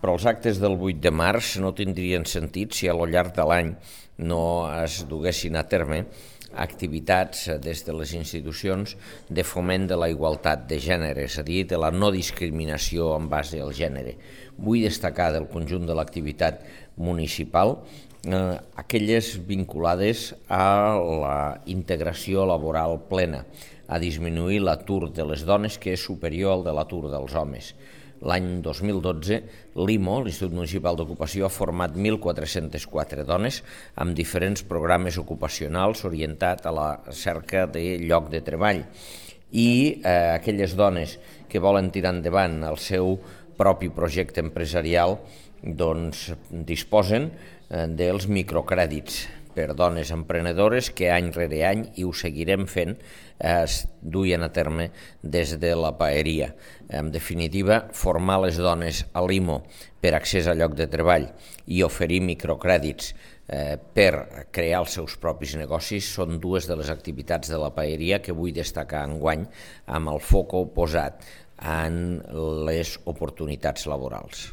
Però els actes del 8 de març no tindrien sentit si al llarg de l'any no es duguessin a terme activitats des de les institucions de foment de la igualtat de gènere, és a dir, de la no discriminació en base al gènere. Vull destacar del conjunt de l'activitat municipal aquelles vinculades a la integració laboral plena, a disminuir l'atur de les dones, que és superior al de l'atur dels homes. L'any 2012, l'IMO, l'Institut Municipal d'Ocupació, ha format 1.404 dones amb diferents programes ocupacionals orientats a la cerca de lloc de treball. I aquelles dones que volen tirar endavant el seu propi projecte empresarial disposen dels microcrèdits per dones emprenedores que any rere any, i ho seguirem fent, es duien a terme des de la paeria. En definitiva, formar les dones a l'IMO per accés a lloc de treball i oferir microcrèdits per crear els seus propis negocis són dues de les activitats de la paeria que vull destacar enguany amb el foc posat en les oportunitats laborals.